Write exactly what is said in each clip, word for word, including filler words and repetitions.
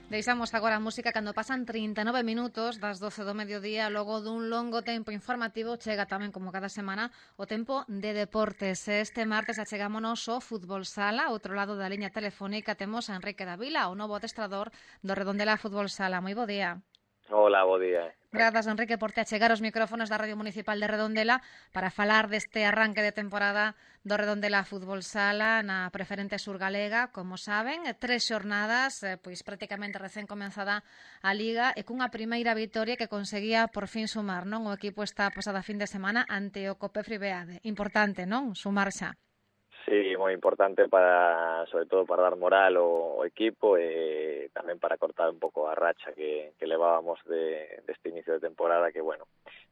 Deixamos agora a música cando pasan trinta e nove minutos das doce do mediodía. Logo dun longo tempo informativo chega tamén, como cada semana, o tempo de deportes. Este martes achegámonos ao Fútbol Sala. Ao outro lado da liña telefónica temos a Enrique Davila, o novo adestrador do Redondela Fútbol Sala. Moi bo día. Hola, bo día. Grazas, Enrique, por te achegar os micrófonos da Radio Municipal de Redondela para falar deste arranque de temporada do Redondela Fútbol Sala na preferente surgalega. Como saben, tres xornadas, pois prácticamente recén comenzada a Liga e cunha primeira vitoria que conseguía por fin sumar, non? O equipo está pasada fin de semana ante o Cope Fribeade. Importante, non? Sumar xa. Sí, moi importante para, sobre todo para dar moral ao, ao equipo e tamén para cortar un pouco a racha que, que levábamos de, deste inicio de temporada que, bueno,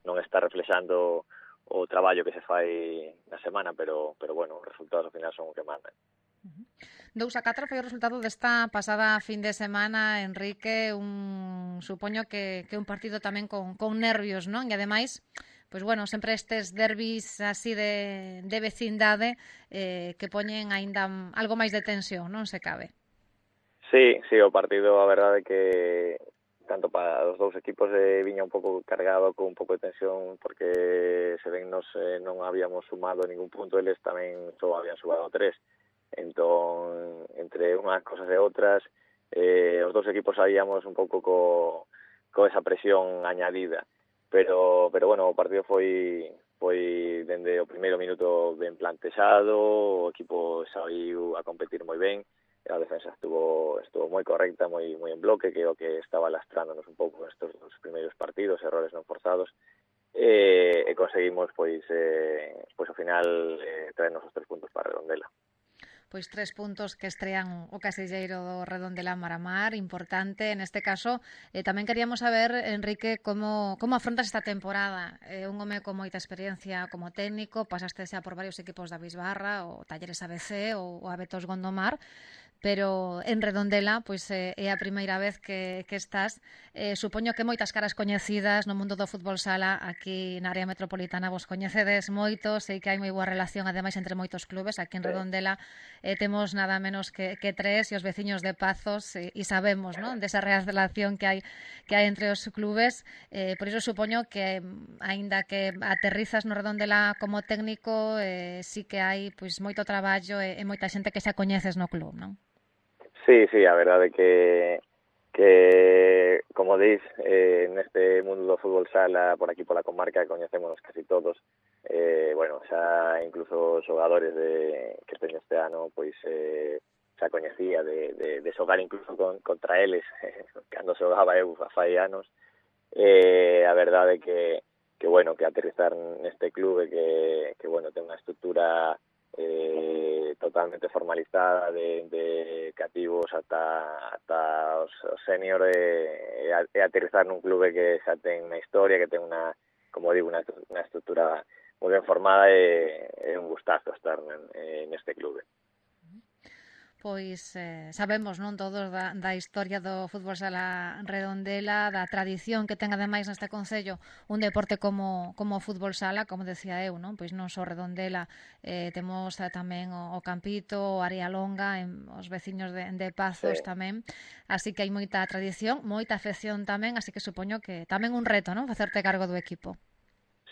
non está reflexando o traballo que se fai na semana, pero, pero bueno, os resultados ao final son o que mandan. Dous a catro foi o resultado desta pasada fin de semana, Enrique, un supoño que, que un partido tamén con, con nervios, non? E ademais, pois bueno, sempre estes derbis así de, de vecindade eh, que poñen aínda algo máis de tensión, non se cabe. Sí, sí, o partido, a verdade que tanto para os dous equipos eh, viña un pouco cargado con un pouco de tensión porque se ven nos eh, non habíamos sumado ningún punto, eles tamén só habían sumado tres. Entón, entre unhas cosas e outras, eh, os dous equipos sabíamos un pouco co, co esa presión añadida. Pero, pero bueno, o partido foi foi dende o primeiro minuto ben plantexado, o equipo saiu a competir moi ben, a defensa estuvo estuvo moi correcta, moi moi en bloque, que é o que estaba lastrándonos un pouco nestes dos primeiros partidos, errores non forzados, e, e conseguimos pois eh, pois ao final eh, traernos os tres puntos para Redondela. Pois tres puntos que estrean o casilleiro do Redondela Maramar, importante. Neste caso, eh, tamén queríamos saber, Enrique, como, como afrontas esta temporada. Eh, un home con moita experiencia como técnico, pasaste xa por varios equipos da Bisbarra, o Talleres A B C ou o Abetos Gondomar, pero en Redondela pois é a primeira vez que, que estás. Eh, supoño que moitas caras coñecidas no mundo do fútbol sala aquí na área metropolitana vos coñecedes moito, sei que hai moi boa relación ademais entre moitos clubes. Aquí en Redondela eh, temos nada menos que, que tres e os veciños de Pazos e, e sabemos, non, desa relación que hai que hai entre os clubes. Eh, por iso supoño que aínda que aterrizas no Redondela como técnico, eh, sí que hai pois moito traballo e, e moita xente que xa coñeces no club, non? Sí, sí, a verdade que que, como dis, eh, neste mundo do fútbol sala, por aquí pola comarca, coñecémonos casi todos. Eh, bueno, xa incluso os xogadores de, que teño este ano, pois eh, xa coñecía de, de, de xogar incluso con, contra eles, eh, cando xogaba eu a fai anos. Eh, a verdade que, que, bueno, que aterrizar neste clube que, que bueno, ten unha estrutura eh, totalmente formalizada de, de cativos ata, ata os, os senior e, e aterrizar nun clube que xa ten unha historia, que ten unha, como digo, unha, unha estrutura moi ben formada e é un gustazo estar en, neste clube. Pois eh, sabemos, non, todos da, da historia do fútbol sala Redondela, da tradición que ten ademais neste concello un deporte como, como o fútbol sala, como decía eu, non? Pois non só Redondela, eh, temos eh, tamén o, o Campito, o Área Longa, en, os veciños de, de Pazos Sí. tamén, así que hai moita tradición, moita afección tamén, así que supoño que tamén un reto, non? Facerte cargo do equipo.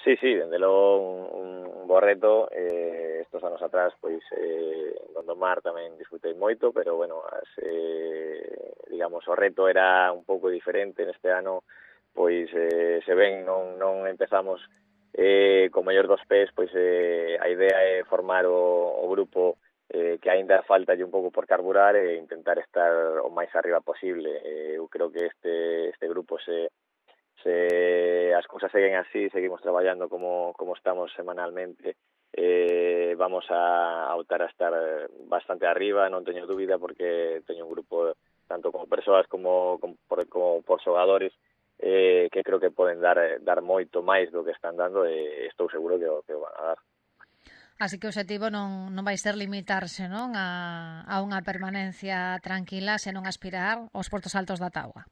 Sí, sí, dende logo un, un bo reto. Eh, estos anos atrás, pois, eh, Gondomar tamén disfrutei moito, pero, bueno, as, eh, digamos, o reto era un pouco diferente. Neste ano, pois, eh, se ven, non, non empezamos eh, con mellor dos pés, pois eh, a idea é formar o, o grupo eh, que aínda falta un pouco por carburar e intentar estar o máis arriba posible. Eh, eu creo que este, este grupo se se as cousas seguen así, seguimos traballando como, como estamos semanalmente, eh, vamos a, a optar a estar bastante arriba, non teño dúbida, porque teño un grupo tanto como persoas como, como, por, como por xogadores eh, que creo que poden dar dar moito máis do que están dando e estou seguro que o que o van a dar. Así que o objetivo non, non vai ser limitarse, non, a, a unha permanencia tranquila, senón aspirar aos portos altos da táboa.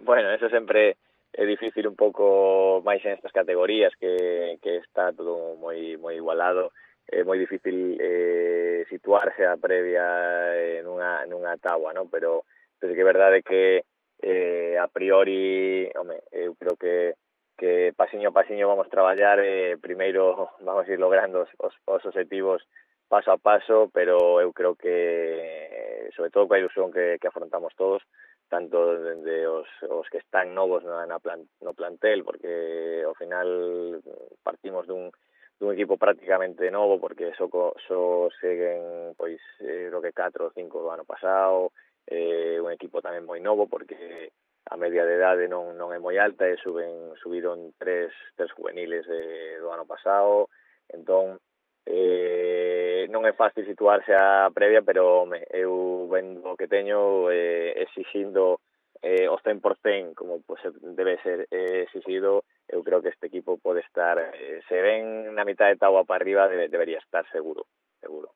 Bueno, eso sempre é difícil un pouco máis en estas categorías que, que está todo moi moi igualado. É moi difícil eh, situarse a previa nunha, nunha táboa, ¿no? Pero Pero que é verdade que eh, a priori, home, eu creo que que pasiño a pasiño vamos traballar, eh, primeiro vamos ir logrando os, os, os objetivos paso a paso, pero eu creo que, sobre todo coa ilusión que, que afrontamos todos, tanto dende os, os que están novos na, na plan, no plantel, porque ao final partimos dun, dun equipo prácticamente novo, porque só, só seguen pois eh, lo que catro ou cinco do ano pasado, eh, un equipo tamén moi novo, porque a media de idade non, non é moi alta, e suben, subiron tres, tres juveniles de, do ano pasado, entón eh, non é fácil situarse a previa, pero me, eu vendo o que teño, eh, exixindo eh, o cen por cen como pues, debe ser eh, exigido, eu creo que este equipo pode estar, eh, se ven na mitad de tabua para arriba, debe, debería estar seguro, seguro.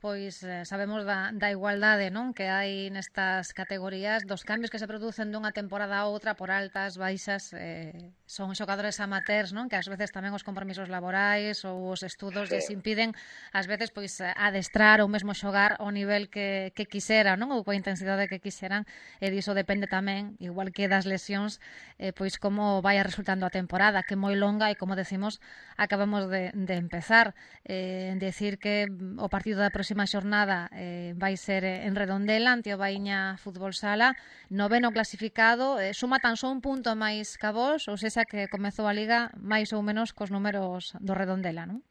Pois eh, sabemos da, da igualdade, non, que hai nestas categorías, dos cambios que se producen dunha temporada a outra por altas, baixas, eh, son xogadores amateurs, non, que ás veces tamén os compromisos laborais ou os estudos Sí. lles impiden ás veces pois adestrar ou mesmo xogar ao nivel que, que quixera, non, ou coa intensidade que quixeran, e diso depende tamén, igual que das lesións, eh, pois como vai resultando a temporada, que é moi longa e como decimos, acabamos de, de empezar. Eh, decir que o partido da próxima próxima xornada eh, vai ser en Redondela ante o Baíña Fútbol Sala, noveno clasificado, eh, suma tan só un punto máis que a vos, ou sexa que comezou a Liga máis ou menos cos números do Redondela, non?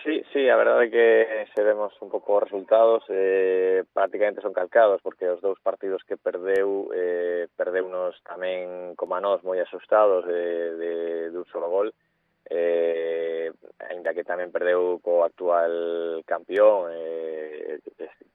Sí, sí, a verdade é que se vemos un pouco os resultados, eh, prácticamente son calcados, porque os dous partidos que perdeu, eh, perdeunos tamén como a nós moi asustados de, de, de un solo gol, eh, ainda que tamén perdeu co actual campeón, eh,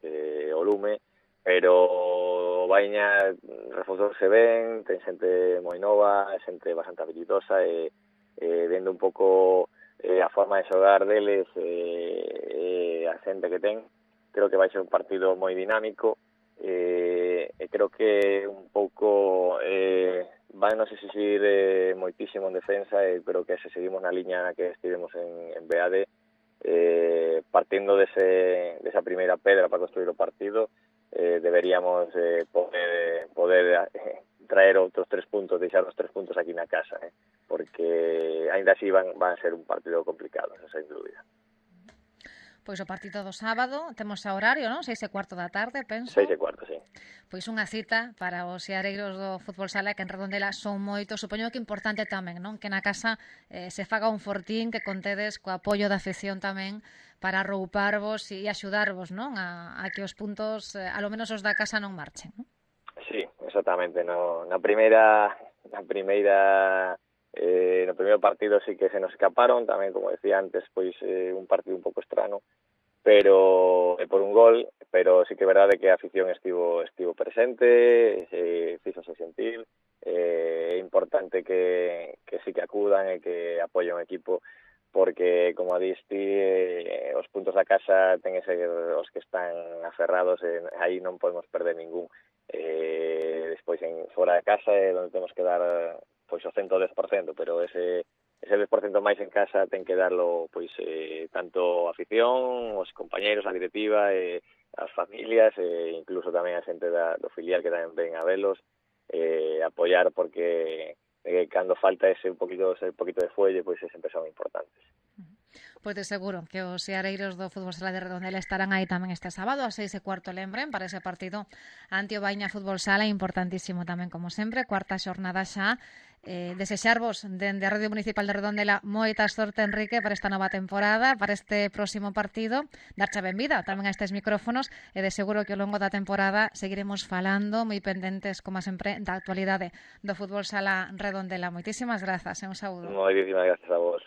eh, o Lume, pero o Baíña reforzouse ben, ten xente moi nova, xente bastante habilidosa, e eh, vendo un pouco eh, a forma de xogar deles, eh, eh, a xente que ten, creo que vai ser un partido moi dinámico, eh, e creo que un pouco eh, vai nos exigir eh, moitísimo en defensa, e pero que se seguimos na liña na que estivemos en, en B A D, eh, partindo dese, desa primeira pedra para construir o partido, eh, deberíamos eh, poder, poder eh, traer outros tres puntos, deixar os tres puntos aquí na casa, eh, porque ainda así van, van a ser un partido complicado, sen dúbida. Pois o partido do sábado, temos a horario, non? Seis e cuarto da tarde, penso. Seis e cuarto, sí. Pois unha cita para os seareiros do fútbol sala, que en Redondela son moitos. Supoño que importante tamén, non? Que na casa eh, se faga un fortín, que contedes co apoio da afección tamén para arrouparvos e axudarvos, non? A, a que os puntos, eh, alo menos os da casa, non marchen, non? Sí, exactamente. No, na primeira, na primeira Eh, no primeiro partido sí que se nos escaparon, tamén, como decía antes, pois eh, un partido un pouco estrano, pero eh, por un gol, pero sí que é verdade que a afición estivo estivo presente, eh, fíxose sentir, é eh, importante que, que sí que acudan e que apoyen o equipo, porque, como diste, eh, os puntos da casa ten que ser os que están aferrados, e aí non podemos perder ningún. Eh, despois, en fora de casa, é onde temos que dar pois o ciento dez por cento, pero ese ese dez por cento máis en casa ten que darlo pois eh, tanto a afición, os compañeiros, a directiva, eh, as familias, e eh, incluso tamén a xente da, do filial que tamén ven a velos, eh, apoiar, porque eh, cando falta ese un poquito, ese poquito de fuelle, pois sempre son importantes. Pois de seguro que os seareiros do Fútbol Sala de Redondela estarán aí tamén este sábado a seis e cuarto, lembren, para ese partido ante o Baíña Fútbol Sala, importantísimo tamén, como sempre, cuarta xornada xa. Eh, desexarvos dende a Radio Municipal de Redondela moita sorte, Enrique, para esta nova temporada, para este próximo partido, darche a benvida tamén a estes micrófonos, e de seguro que ao longo da temporada seguiremos falando moi pendentes, como sempre, da actualidade do Fútbol Sala Redondela. Moitísimas grazas e un saúdo. Moitísimas grazas a vos.